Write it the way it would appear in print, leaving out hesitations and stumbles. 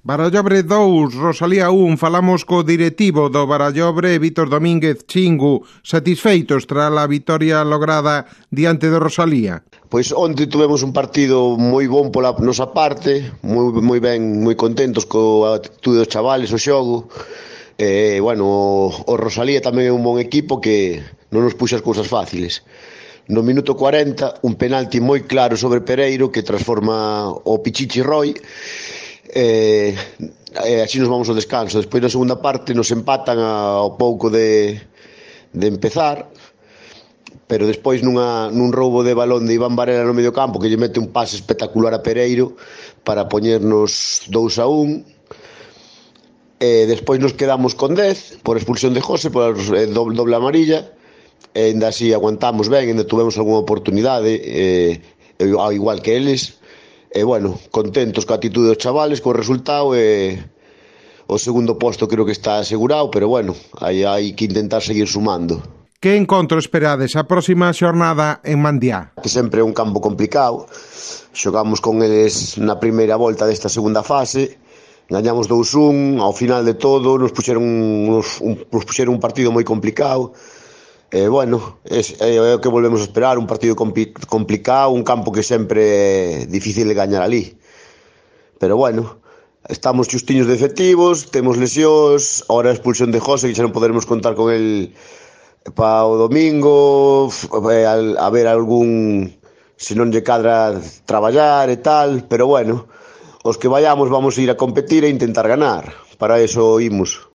Barallobre 2, Rosalía 1, falamos co directivo do Barallobre, Vítor Domínguez Chingu, satisfeitos tras a vitoria lograda diante do Rosalía. Pois onte tivemos un partido moi bon pola nosa parte, moi ben, moi contentos coa actitude dos chavales, o xogo. O Rosalía tamén é un bon equipo que non nos puxa as cousas fáciles. No minuto 40, un penalti moi claro sobre Pereiro que transforma o Pichichi Roy. Así nos vamos ao descanso. Despois na segunda parte nos empatan ao pouco de empezar, pero despois nun roubo de balón de Iván Varela no medio campo que lle mete un pase espectacular a Pereiro para poñernos 2-1. Despois nos quedamos con 10 por expulsión de José, por doble amarilla, e ainda así aguantamos ben, ainda tuvemos algunha oportunidade, ao igual que eles. Contentos coa actitude dos chavales, co resultado, o segundo posto creo que está asegurado, pero hai que intentar seguir sumando. Que encontro esperades a próxima xornada en Mandiá? Que sempre é un campo complicado, xogamos con eles na primeira volta desta segunda fase, gañamos 2-1, ao final de todo nos puxeron un partido moi complicado. É o que volvemos a esperar, un partido complicado, un campo que sempre é difícil de gañar ali. Pero estamos xustiños de efectivos, temos lesións, ahora a expulsión de José, que xa non poderemos contar con el para o domingo, a ver algún, se non lle cadra traballar e tal, pero os que vayamos vamos a ir a competir e intentar ganar, para eso imos.